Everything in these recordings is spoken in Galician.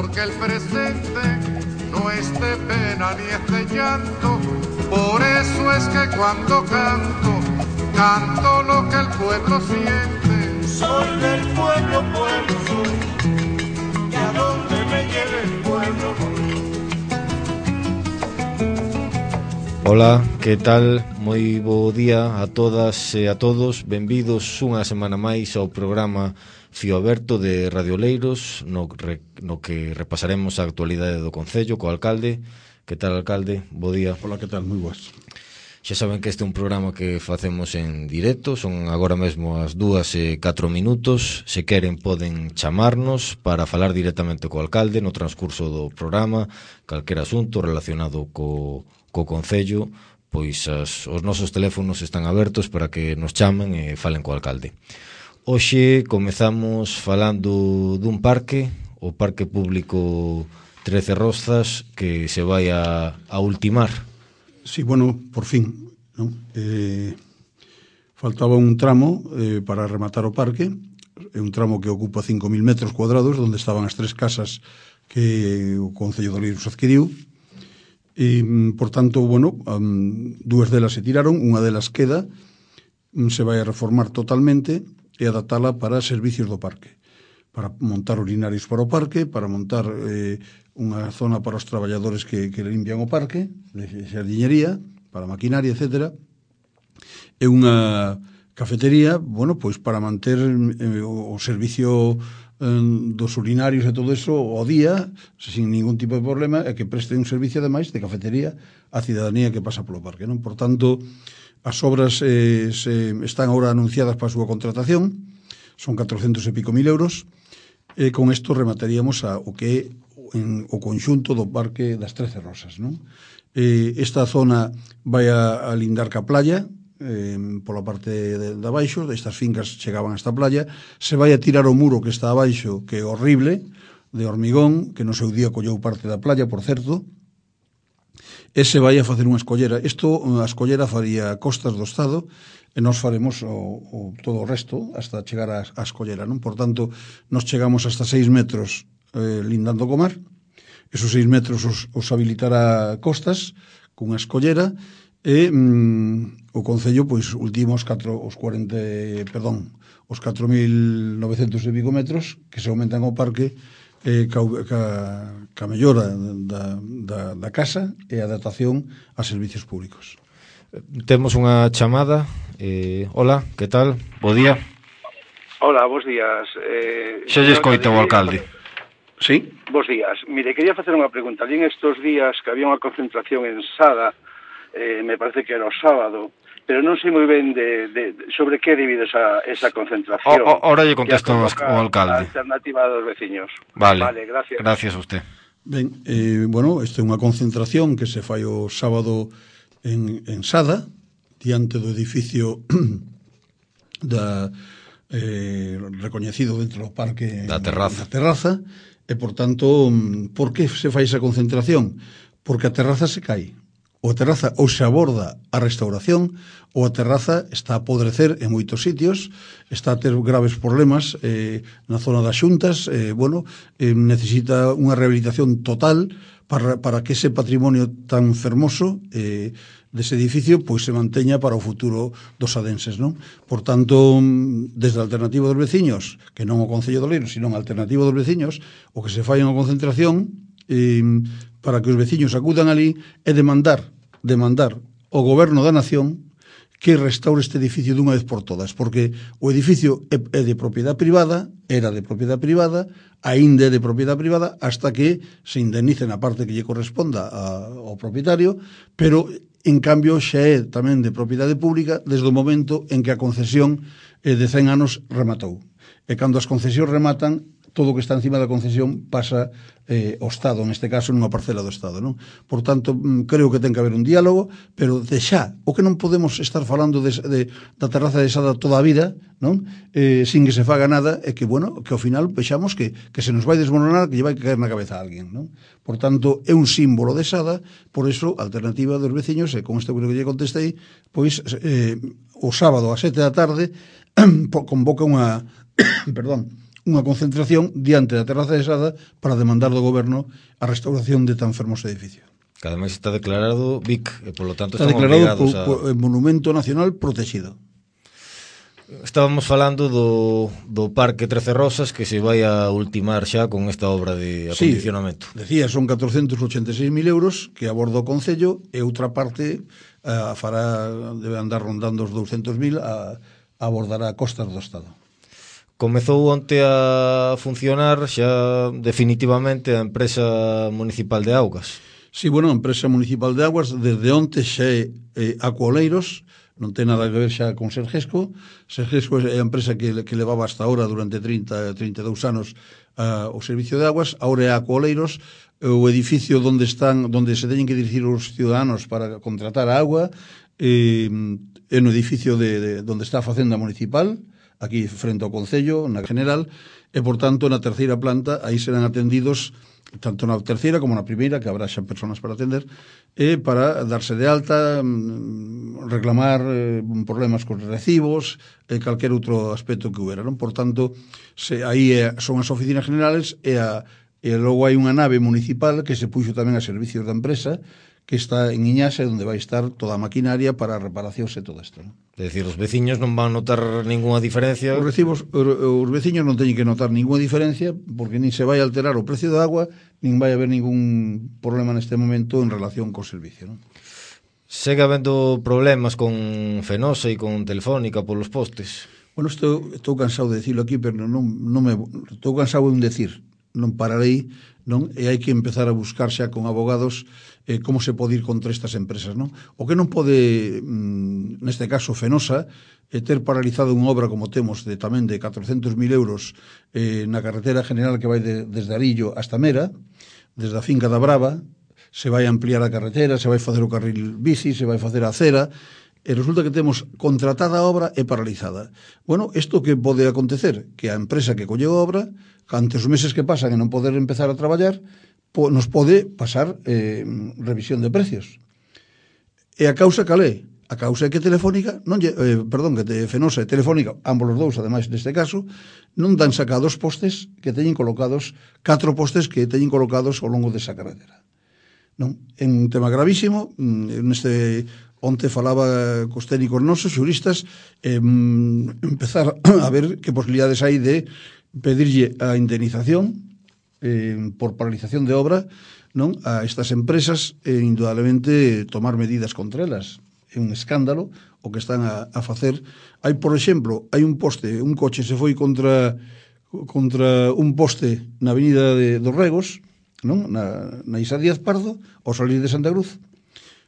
porque el presente no es de pena ni es de llanto. Por eso es que cuando canto, canto lo que el pueblo siente. Soy del pueblo, pueblo soy, que a donde me lleve el pueblo voy. Ola, que tal? Moi bo día a todas e a todos. Benvidos unha semana máis ao programa Fío Aberto de Radio Oleiros, no que repasaremos a actualidade do Concello co alcalde. Que tal, alcalde? Bo día. Ola, que tal? Moi boas. Xa saben que este é un programa que facemos en directo, son agora mesmo as 2:04. Se queren poden chamarnos para falar directamente co alcalde no transcurso do programa, calquera asunto relacionado co Concello, pois os nosos teléfonos están abertos para que nos chamen e falen co alcalde. Hoxe comezamos falando dun parque, o Parque Público 13 Rozas, que se vai a ultimar. Sí, bueno, por fin, non? Faltaba un tramo para rematar o parque, é un tramo que ocupa 5.000 metros cuadrados, onde estaban as tres casas que o Concello de Oleiros adquiriu. E, por tanto, bueno, dúas delas se tiraron, unha delas queda, se vai a reformar totalmente e adaptala para servicios do parque, para montar urinarios para o parque, para montar unha zona para os traballadores que limpian o parque, de xardiñería, para maquinaria, etc. E unha cafetería, bueno, pois para manter o servicio dos urinarios e todo eso ao día, sin ningún tipo de problema, e que preste un servicio ademais de cafetería á cidadanía que pasa polo parque, non? Por tanto, as obras están agora anunciadas para a súa contratación, son 400 e pico mil euros, e con isto remataríamos o que é o conxunto do Parque das 13 Rosas, non? Esta zona vai a lindar ca playa, pola parte de abaixo, destas fincas chegaban a esta playa, se vai a tirar o muro que está abaixo, que é horrible, de hormigón, que no seu día colleu parte da playa, por certo, e se vai a facer unha escollera. Isto, a escollera faría Costas do Estado, e nós faremos todo o resto hasta chegar á escollera, non? Por tanto, nos chegamos hasta 6 metros lindando co mar, esos 6 metros os habilitará Costas cunha escollera, e o Concello, pois, ultimos os 4.900 e pico metros que se aumentan ao parque ca mellora da casa e a adaptación a servicios públicos. Temos unha chamada. Hola, que tal? Bo día. Hola, bos días. Xa lle escoita o alcalde. Sí? Bos días. Mire, quería facer unha pregunta. Ali en estos días que había unha concentración en Sada, me parece que era o sábado, pero non sei moi ben sobre que debido esa concentración. Ora lle contesto o alcalde. A alternativa dos veciños. Vale, gracias. Gracias a usted. Ben, bueno, esta é unha concentración que se fai o sábado en Sada, diante do edificio recoñecido dentro do parque da terraza, e, por tanto, por que se fai esa concentración? Porque a terraza se cae. O a terraza ou se aborda a restauración, ou a terraza está a podrecer en moitos sitios, está a ter graves problemas na zona das xuntas, necesita unha rehabilitación total para que ese patrimonio tan fermoso dese edificio pois se manteña para o futuro dos sadenses, non? Por tanto, desde a alternativa dos veciños, que non o Concello de Oleiros, sino a alternativa dos veciños, o que se fai unha concentración para que os veciños acudan ali e demandar ao goberno da nación que restaure este edificio dunha vez por todas, porque o edificio é de propiedade privada, era de propiedade privada, aínda é de propiedade privada, hasta que se indemnice na parte que lle corresponda ao propietario, pero, en cambio, xa é tamén de propiedade pública desde o momento en que a concesión de 100 anos rematou. E cando as concesións rematan, todo o que está encima da concesión pasa ao Estado, neste caso nunha parcela do Estado, non? Por tanto, creo que ten que haber un diálogo, pero de xa, o que non podemos estar falando da terraza de Sada toda a vida, non? Sin que se faga nada, e que, bueno, que ao final vexamos que se nos vai desmoronar, que lle vai caer na cabeza a alguén, non? Por tanto, é un símbolo de Sada, por eso, a alternativa dos veciños, e con isto creo que lle contestei, pois, o sábado a 7 da tarde convoca unha unha concentración diante da terraza de Sada para demandar do goberno a restauración de tan fermoso edificio. Que ademais está declarado BIC, e polo tanto Está están declarado obligados a... Monumento Nacional Protegido. Estábamos falando do Parque Trece Rosas, que se vai a ultimar xa con esta obra de acondicionamento. Sí, decía, son 486.000 euros que aborda o Concello, e outra parte fará, debe andar rondando os 200.000 a abordar a costas do Estado. Comezou onte a funcionar xa definitivamente a empresa municipal de augas. Sí, bueno, a empresa municipal de augas desde onte xa é Acuoleiros, non ten nada que ver xa con Sergesco. Sergesco é a empresa que levaba hasta ahora durante 32 anos o servicio de aguas. Ahora é Acuoleiros, o edificio onde se teñen que dirigir os ciudadanos para contratar a agua, é no edificio onde está a Facenda Municipal, aquí frente ao Concello, na General, e, por tanto, na terceira planta, aí serán atendidos tanto na terceira como na primeira, que habrá xa persoas para atender, e para darse de alta, reclamar problemas cos recibos, e calquer outro aspecto que hubiera, non? Por tanto, aí son as oficinas generales, e logo hai unha nave municipal que se puxo tamén a servicios da empresa, que está en Iñase, onde vai estar toda a maquinaria para reparacións e todo isto, non? É dicir, os veciños non van notar ninguna diferencia. Os veciños non teñen que notar ninguna diferencia, porque nin se vai alterar o precio da agua, nin vai haber ningún problema neste momento en relación co servicio, non? Segue habendo problemas con Fenosa e con Telefónica polos postes. Bueno, estou cansado de dicilo aquí, pero estou cansado de decir, non pararei, non? E hai que empezar a buscar xa con abogados como se pode ir contra estas empresas, non? O que non pode, neste caso Fenosa, ter paralizado unha obra como temos tamén de 400.000 euros na carretera general que vai desde Arillo hasta Mera, desde a finca da Brava, se vai ampliar a carretera, se vai facer o carril bici, se vai facer a acera, e resulta que temos contratada a obra e paralizada. Bueno, isto que pode acontecer? Que a empresa que colle a obra, ante os meses que pasan e non poder empezar a traballar, nos pode pasar revisión de precios. E a causa cal é? A causa é que Telefónica, que Fenosa e Telefónica, ambos os dous, ademais neste caso, non dan sacados postes que teñen colocados, 4 postes que teñen colocados ao longo desa carretera. Non? É un tema gravísimo, onte falaba cos técnicos nosos, xuristas, empezar a ver que posibilidades hai de pedirlle a indemnización por paralización de obra, non, a estas empresas, indudablemente tomar medidas contra elas. É un escándalo o que están a facer. Hai, por exemplo, hai un poste, un coche se foi contra un poste na avenida dos Regos, non, na Isa Díaz Pardo, ao salir de Santa Cruz,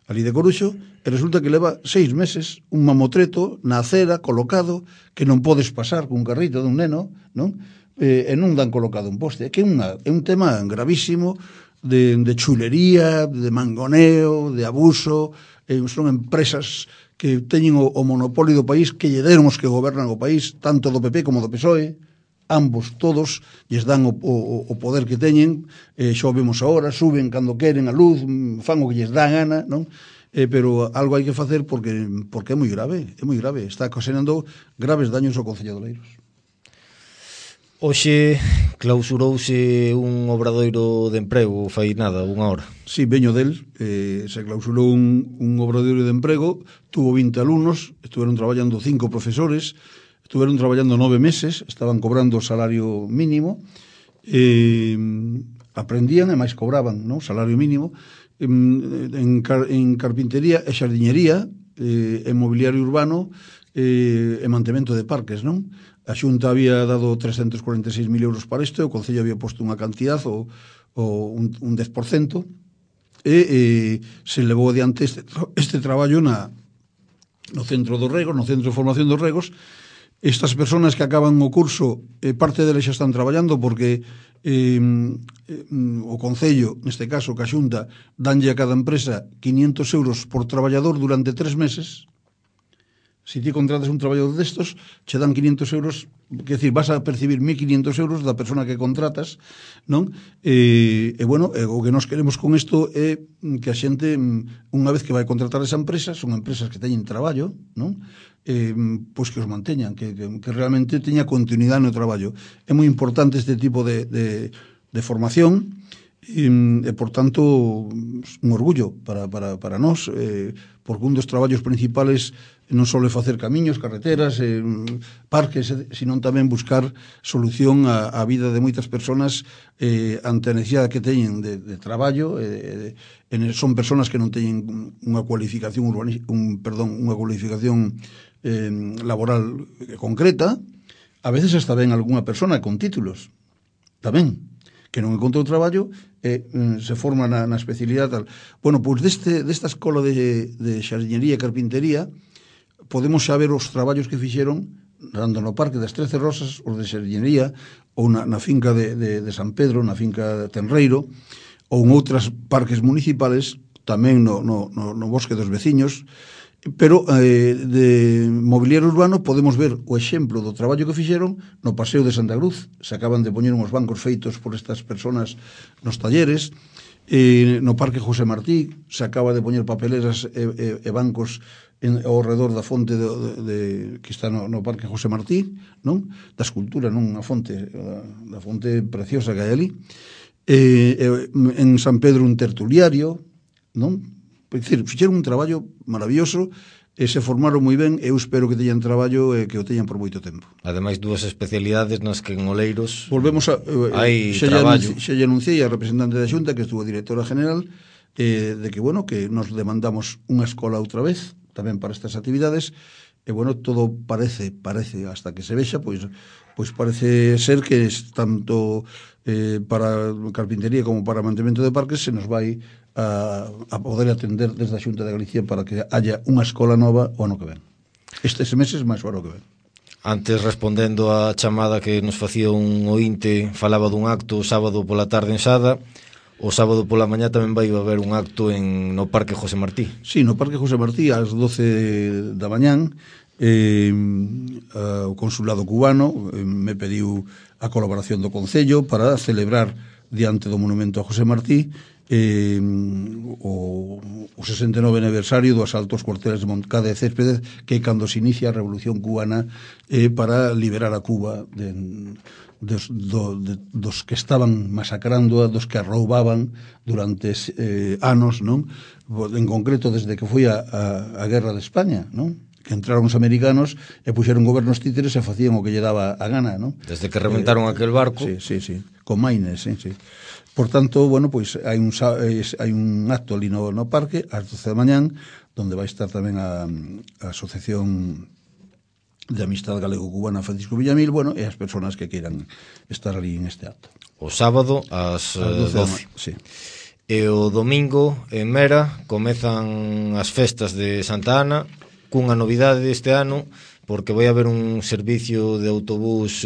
ali de Coruxo, e resulta que leva 6 meses un mamotreto na acera colocado que non podes pasar cun carrito dun neno, non? E non dan colocado un poste. É que é un tema gravísimo de chulería, de mangoneo, de abuso. Son empresas que teñen o monopolio do país, que lle deron os que gobernan o país, tanto do PP como do PSOE, ambos, todos, lles dan o poder que teñen, xa o vemos agora, suben cando queren a luz, fan o que lles dá gana, non? Pero algo hai que facer porque é moi grave, está ocasionando graves daños ao Concello de Oleiros. Hoxe clausurouse un obradoiro de emprego, fai nada, unha hora. Sí, veño del, se clausurou un obradoiro de emprego, tuvo 20 alumnos, estuveron traballando 5 profesores, estuveron traballando 9 meses, estaban cobrando o salario mínimo, aprendían e máis cobraban, non? Salario mínimo, en carpintería e xardiñería, en mobiliario urbano e mantemento de parques, non? A Xunta había dado 346.000 euros para isto, o Concello había posto unha cantidad, un 10%, e se levou adiante este traballo no Centro dos Regos, no Centro de Formación dos Regos. Estas persoas que acaban o curso, parte deles xa están traballando porque o Concello, neste caso, que a Xunta, danlle a cada empresa 500 euros por traballador durante 3 meses. Se ti contratas un traballador destos, che dan 500 euros, quer decir, vas a percibir 1.500 euros da persona que contratas, non? Bueno, o que nós queremos con isto é que a xente, unha vez que vai contratar esa empresa, son empresas que teñen traballo, non? Pois que os manteñan, que realmente teña continuidade no traballo. É moi importante este tipo de formación, e por tanto un orgullo para nós, porque un dos traballos principales non só é facer camiños, carreteras, parques, sino tamén buscar solución á vida de moitas personas ante a necesidade que teñen de traballo. Son personas que non teñen unha cualificación unha cualificación laboral concreta. A veces hasta ven algunha persona con títulos tamén que non encontrou traballo e se forma na especialidade tal. Bueno, pois desta escola de xardinería e carpintería podemos xa ver os traballos que fixeron tanto no Parque das 13 Rosas, os de xardinería, ou na finca de San Pedro, na finca de Tenreiro, ou en outras parques municipales, tamén no Bosque dos Veciños. Pero de mobiliario urbano podemos ver o exemplo do traballo que fixeron no Paseo de Santa Cruz. Se acaban de poñer uns bancos feitos por estas personas nos talleres. No Parque José Martí se acaba de poñer papeleras e bancos ao redor da fonte que está no Parque José Martí, non? Da escultura, non? A fonte, da fonte preciosa que hai ali. En San Pedro un tertuliario, non? É dicir, fixeron un traballo maravilloso e se formaron moi ben. Eu espero que teñan traballo e que o teñan por moito tempo. Ademais, dúas especialidades nas que en Oleiros volvemos a hai traballo. Xa lle anunciei a representante da Xunta, que estuvo directora general, de que, bueno, que nos demandamos unha escola outra vez, tamén para estas actividades, e, bueno, todo parece, hasta que se vexa, pois parece ser que tanto para carpintería como para mantemento de parques se nos vai a poder atender desde a Xunta de Galicia para que haya unha escola nova o ano que ven. Estes meses máis o ano que ven. Antes, respondendo á chamada que nos facía un ointe, falaba dun acto o sábado pola tarde en Sada. O sábado pola mañá tamén vai haber un acto no Parque José Martí. Sí, no Parque José Martí ás 12 da mañán. O consulado cubano me pediu a colaboración do Concello para celebrar diante do monumento a José Martí o 69 aniversario do asalto aos cuarteles de Moncada e Céspedes, que é cando se inicia a Revolución Cubana para liberar a Cuba dos que estaban masacrando, dos que a roubaban durante anos, non? En concreto desde que foi a Guerra de España, non? Que entraron os americanos e puxeron gobernos títeres e facían o que lle daba a gana, non? Desde que reventaron aquel barco. Sí, con Maines, sí. Por tanto, bueno, pois hai un acto ali no parque ás 12 da mañán, donde vai estar tamén a Asociación de Amistad Galego-Cubana Francisco Villamil, bueno, e as persoas que queiran estar ali en este acto. O sábado ás 12. Sí. E o domingo en Mera comezan as festas de Santa Ana, cunha novidade este ano, porque vai haber un servicio de autobús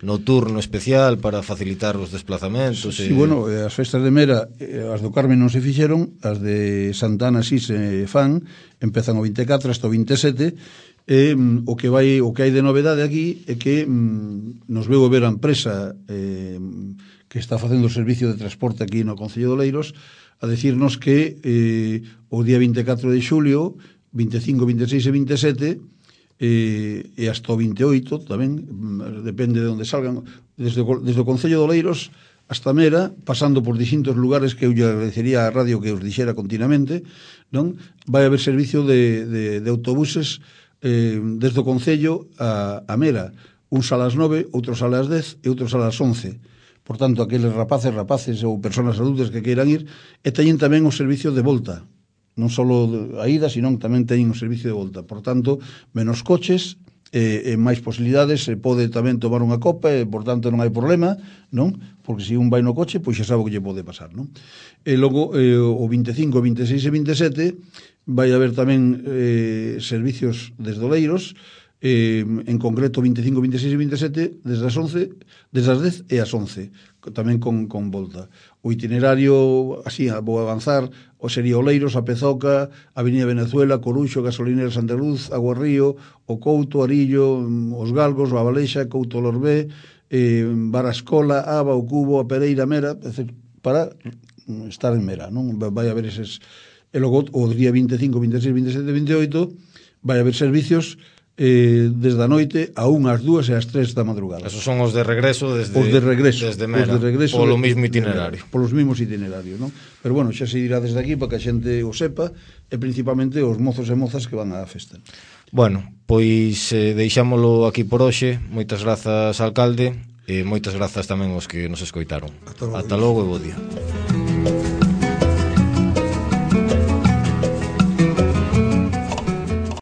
nocturno especial para facilitar os desplazamentos. Sí, bueno, as festas de Mera, as do Carmen non se fixeron, as de Santana sí se fan, empezan o 24 hasta o 27, o que hai de novedade aquí é que nos veu ver a empresa que está facendo o servicio de transporte aquí no Concello de Oleiros a decirnos que o día 24 de xulio, 25, 26 e 27 e hasta o 28 tamén, depende de onde salgan, desde o Concello de Oleiros hasta Mera, pasando por distintos lugares que eu lle agradecería á radio que os dixera continuamente, non? Vai haber servicio de autobuses desde o Concello a Mera, uns a las 9, outros a las 10 e outros a las 11. Por tanto, aqueles rapaces ou persoas adultas que queiran ir, e teñen tamén o servicio de volta, non só a ida, senón tamén teñen o servicio de volta. Por tanto, menos coches e máis posibilidades, se pode tamén tomar unha copa e, por tanto, non hai problema, non? Porque se un vai no coche, pois xa sabe o que lle pode pasar, non? E logo, o 25, 26 e 27 vai haber tamén servicios desde Oleiros, en concreto 25, 26 e 27 desde as 10 e as 11, tamén con volta. O itinerario, así, vou avanzar, o sería Oleiros, a Pezoca, Avenida Venezuela, Coruxo, Gasolinera Santa Luz, Agua Río, o Couto, Arillo, os Galgos, o Abalexa, Couto Lorbé, Barascola, Aba, o Cubo, a Pereira, Mera, para estar en Mera, non? Vai haber eses... E logo, o día 25, 26, 27, 28, vai haber servicios desde a noite a 1, as 2 e as 3 da madrugada. Esos son os de regreso desde Mera, polo mismo itinerario. Polos mismos itinerarios, non? Pero bueno, xa se dirá desde aquí para que a xente o sepa, e principalmente os mozos e mozas que van á festa. Bueno, pois deixámolo aquí por hoxe. Moitas grazas, alcalde, e moitas grazas tamén aos que nos escoitaron. Ata logo e bo día.